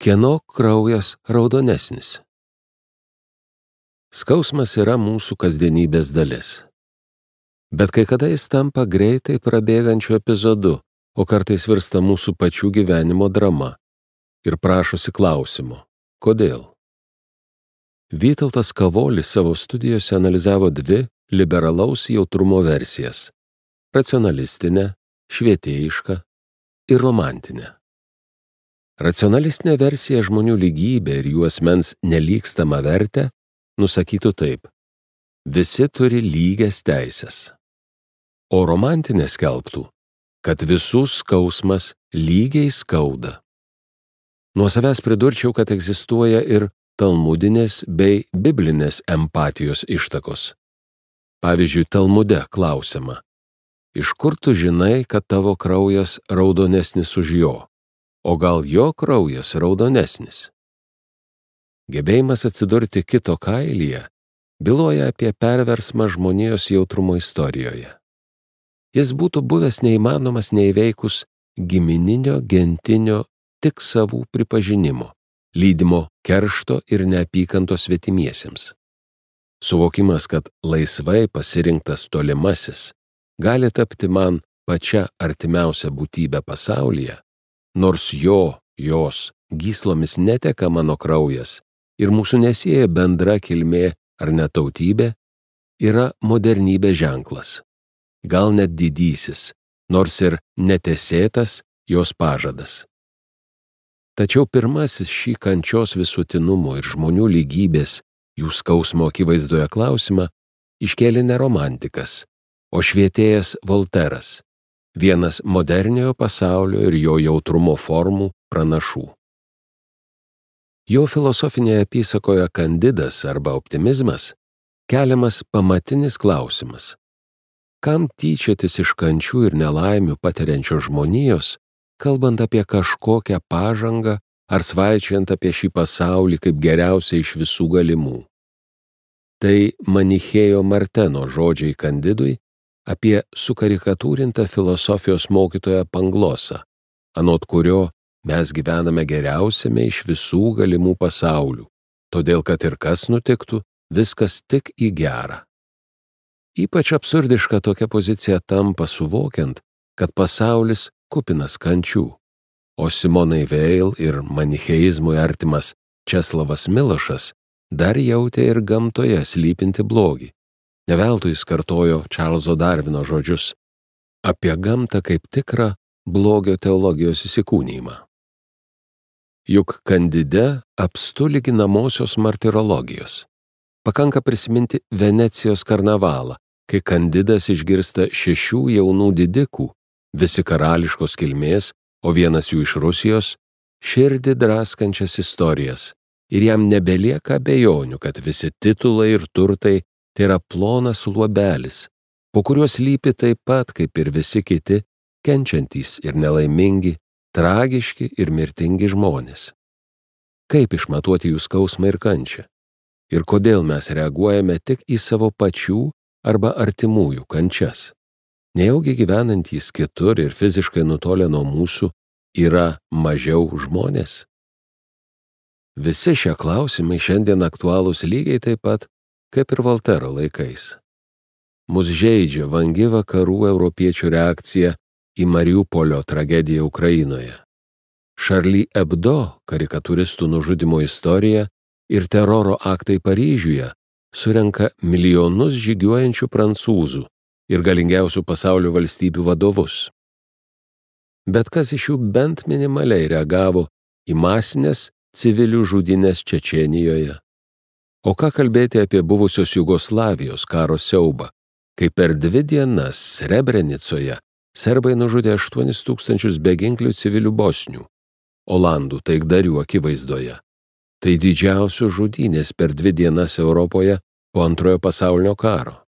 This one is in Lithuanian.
Kieno kraujas raudonesnis? Skausmas yra mūsų kasdienybės dalis. Bet kai kada jis tampa greitai prabėgančiu epizodu, o kartais virsta mūsų pačių gyvenimo drama ir prašosi klausimo – kodėl? Vytautas Kavolis savo studijose analizavo dvi liberalaus jautrumo versijas – racionalistinę, švietėjišką ir romantinę. Racionalistinė versija žmonių lygybė ir jų asmens nelygstamą vertę nusakytų taip: visi turi lygias teises. O romantinė skelbtų, kad visų skausmas lygiai skauda. Nuo savęs pridurčiau, kad egzistuoja ir talmudinės bei biblinės empatijos ištakos. Pavyzdžiui, Talmude klausiama: iš kur tu žinai, kad tavo kraujas raudonesnis už jo? O gal jo kraujas raudonesnis? Gebėjimas atsidurti kito kailyje byloja apie perversmą žmonijos jautrumo istorijoje. Jis būtų buvęs neįmanomas neįveikus gimininio, gentinio, tik savų pripažinimo, lydimo keršto ir neapykantos svetimiesiems. Suvokimas, kad laisvai pasirinktas tolimasis gali tapti man pačia artimiausia būtybė pasaulyje, nors jos gyslomis neteka mano kraujas ir mūsų nesieja bendra kilmė ar netautybė, yra modernybės ženklas. Gal net didysis, nors ir netesėtas jos pažadas. Tačiau pirmasis šį kančios visuotinumo ir žmonių lygybės jų skausmo akivaizdoje klausimą iškėlė ne romantikas, o švietėjas Volteras, vienas moderniojo pasaulio ir jo jautrumo formų pranašų. Jo filosofinėje apysakoje Kandidas arba optimizmas keliamas pamatinis klausimas: kam tyčiotis iš kančių ir nelaimių patiriančio žmonijos, kalbant apie kažkokią pažangą ar svaičiant apie šį pasaulį kaip geriausią iš visų galimų? Tai Manichėjo Marteno žodžiai Kandidui apie sukarikatūrintą filosofijos mokytoją Panglosą, anot kurio mes gyvename geriausiame iš visų galimų pasaulių, todėl kad ir kas nutiktų, viskas tik į gerą. Ypač absurdiška tokia pozicija tampa suvokiant, kad pasaulis kupinas kančių, o Simonai Veil ir manicheizmui artimas Česlavas Milošas dar jautė ir gamtoje slypinti blogį. Ne veltui jis kartojo Čarlzo Darvino žodžius apie gamtą kaip tikrą blogio teologijos įsikūnijimą. Juk Kandide apstu lyginamosios martirologijos. Pakanka prisiminti Venecijos karnavalą, kai Kandidas išgirsta 6 jaunų didikų, visi karališkos kilmės, o vienas jų iš Rusijos, širdį draskančias istorijas, ir jam nebelieka abejonių, kad visi titulai ir turtai tai yra plonas luobelis, po kuriuo slypi taip pat, kaip ir visi kiti, kenčiantys ir nelaimingi, tragiški ir mirtingi žmonės. Kaip išmatuoti jų skausmą ir kančią? Ir kodėl mes reaguojame tik į savo pačių arba artimųjų kančias? Nejaugi gyvenantys kitur ir fiziškai nutolę nuo mūsų yra mažiau žmonės? Visi šie klausimai šiandien aktualūs lygiai taip pat, kaip ir Voltero laikais. Mus žeidžia vangi vakarų europiečių reakcija į Mariupolio tragediją Ukrainoje. Charlie Hebdo karikatūristų nužudymo istorija ir teroro aktai Paryžiuje surenka milijonus žygiuojančių prancūzų ir galingiausių pasaulio valstybių vadovus. Bet kas iš jų bent minimaliai reagavo į masinės civilių žudynės Čečėnijoje? O ką kalbėti apie buvusios Jugoslavijos karo siaubą, kai per 2 dienas Srebrenicoje serbai nužudė 8000 beginklių civilių bosnių, olandų taikdarių akivaizdoje. Tai didžiausios žudynės per 2 dienas Europoje po Antrojo pasaulinio karo.